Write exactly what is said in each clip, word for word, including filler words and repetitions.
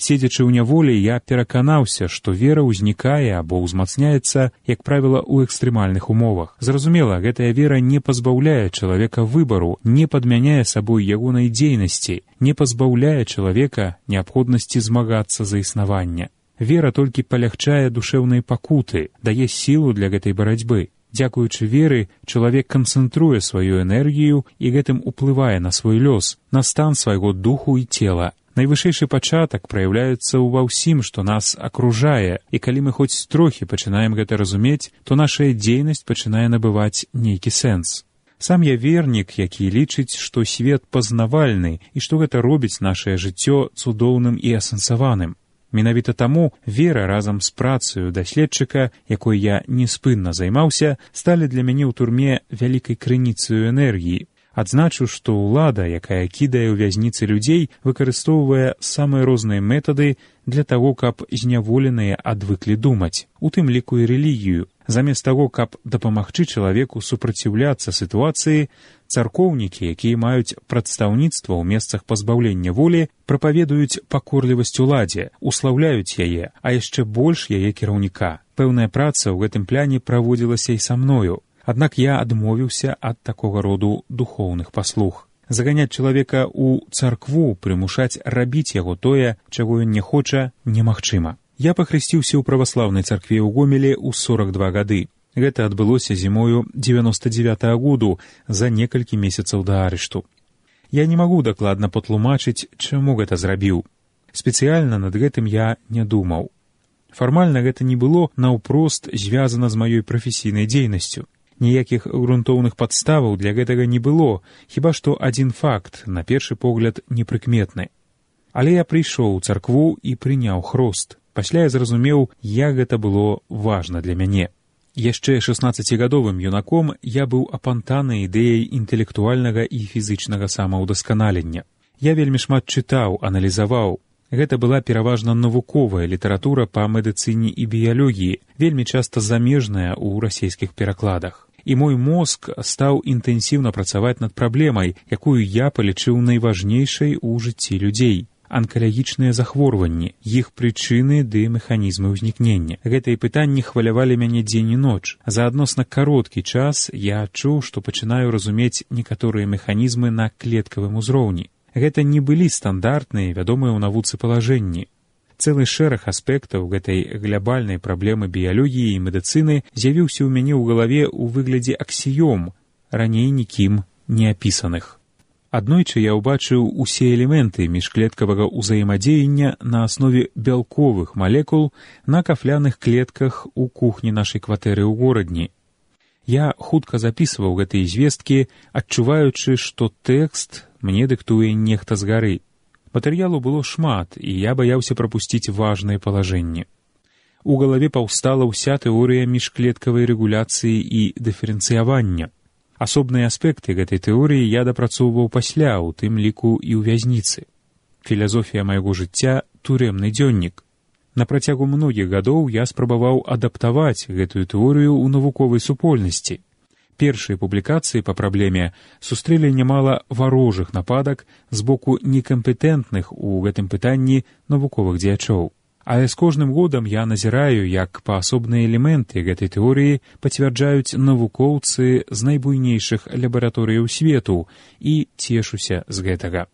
Седзячы ў няволі, я пераканаўся, што вера ўзнікае або ўзмацняецца, як правіла, у экстрэмальных умовах. Зразумела, гэтая вера не пазбаўляе чалавека выбару, не падмяняе сабой ягонай дзейнасці, не пазбаўляе чалавека неабходнасці змагацца за існаванне. Вера толькі палягчае душэўнай пакуты, дае сілу для гэтай барацьбы. Дзякуючы веры, чалавек канцэнтруе сваю энергію і гэтым уплывае на свой лёс, на стан свайго духу і цела. Найвышэйшы пачатак праяўляецца ва ўсім, што нас акружае, і калі мы хоць трохі пачынаем гэта разумець, то нашая дзейнасць пачынае набываць нейкі сэнс. Сам я вернік, які лічыць, што свет пазнавальны і што гэта робіць нашае жыццё цудоўным і асэнсаваным. Менавіта таму вера разам з працаю даследчыка, якой я неспынна займаўся, сталі для мяне ў турме вялікай крыніцаю энергіі. Адзначу, што ўлада, якая кідае ў вязніцы людзей, выкарыстоўвае самыя розныя метады для таго, каб зняволеныя адвыклі думаць, у тым ліку і рэлігію. Замест таго, каб дапамагчы чалавеку супраціўляцца сітуацыі, царкоўнікі, якія маюць прадстаўніцтва ў месцах пазбаўлення волі, прапаведуюць пакорлівасць уладзе, услаўляюць яе, а яшчэ больш яе кіраўніка. Пэўная праца ў гэтым пляне праводзілася і са мною. Аднак я адмовіўся ад такога роду духоўных паслуг. Заганяць чалавека ў царкву, прымушаць рабіць яго тое, чаго ён не хоча, немагчыма. Я пахрысціўся ў праваслаўнай царкве ў Гомелі ў сорак два гады. Гэта адбылося зімою дзевяноста дзевятага году, за некалькі месяцаў да арышту. Я не магу дакладна патлумачыць, чаму гэта зрабіў. Спецыяльна над гэтым я не думаў. Фармальна гэта не было наўпрост звязана з маёй прафесійнай дзейнасцю. Ніякіх грунтоўных падставаў для гэтага не было, хіба што адзін факт, на першы погляд, непрыкметны. Але я прыйшоў у царкву і прыняў хрост. Пасля я зразумеў, як гэта было важна для мяне. Яшчэ шаснаццацігадовым юнаком я быў апантаны ідэяй інтэлектуальнага і фізычнага самаўдасканалення. Я вельмі шмат чытаў, аналізаваў. Гэта была пераважна навуковая літаратура па медыцыне і біялогіі, вельмі часта замежная ў расейскіх перакладах. І мой мозг стаў інтэнсіўна працаваць над праблемай, якую я палічыў найважнейшай у жыцці людзей. Анкалагічныя захворванні, іх прычыны ды механізмы ўзнікнення. Гэтыя пытанні хвалявалі мяне дзень і ноч. За адносна кароткі час я адчуў, што пачынаю разумець некаторыя механізмы на клеткавым узроўні. Гэта не былі стандартныя, вядомыя ў навуцы палажэнні. Цэлы шэраг аспектаў гэтай глябальнай праблемы біялогіі і медыцыны з'явіўся ў мяне ў галаве ў выглядзе аксіём, раней нікім не апісаных. Аднойчы я ўбачыў усе элементы міжклеткавага ўзаемадзеяння на аснове бялковых малекул на кафляных клетках у кухні нашай кватэры ў горадні. Я хутка запісваў гэтыя звесткі, адчуваючы, што тэкст мне дыктуе нехта згары. Матэрыялу было шмат, і я баяўся прапусціць важныя палажэнні. У галаве паўстала ўся тэорыя міжклеткавай рэгуляцыі і дыферэнцыявання. Асобныя аспекты гэтай тэорыі я дапрацоўваў пасля, у тым ліку і ў вязніцы. Філасофія майго жыцця — турэмны дзённік. На працягу многіх гадоў я спрабаваў адаптаваць гэтую тэорыю ў навуковай супольнасці. Першыя публікацыі па праблеме сустрэлі нямала варожых нападак з боку некампетэнтных у гэтым пытанні навуковых дзеячоў. Але з кожным годам я назіраю, як паасобныя элементы гэтай тэорыі пацвярджаюць навукоўцы з найбуйнейшых лабараторыяў свету і цешуся з гэтага.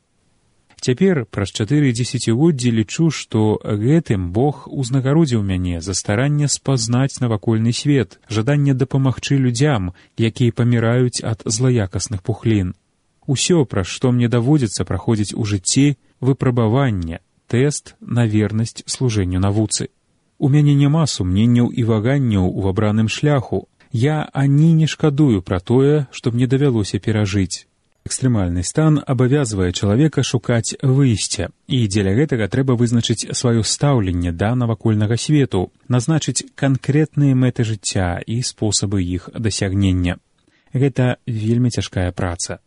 Цяпер, праз чатыры дзесяцігоддзі, лічу, што гэтым Бог узнагародзіў мяне за старанне спазнаць навакольны свет, жаданне дапамагчы людзям, якія паміраюць ад злаякасных пухлін. Усё, праз што мне даводзіцца праходзіць у жыцці, выпрабаванне, тэст на вернасць служэнню навуцы. У мяне няма сумненняў і ваганняў у вабраным шляху. Я ані не шкадую пра тое, што мне давялося перажыць. Экстрэмальны стан абавязвае чалавека шукаць выйсця, і дзеля гэтага трэба вызначыць сваё стаўленне да навакольнага свету, назначыць канкрэтныя мэты жыцця і спосабы іх дасягнення. Гэта вельмі цяжкая праца.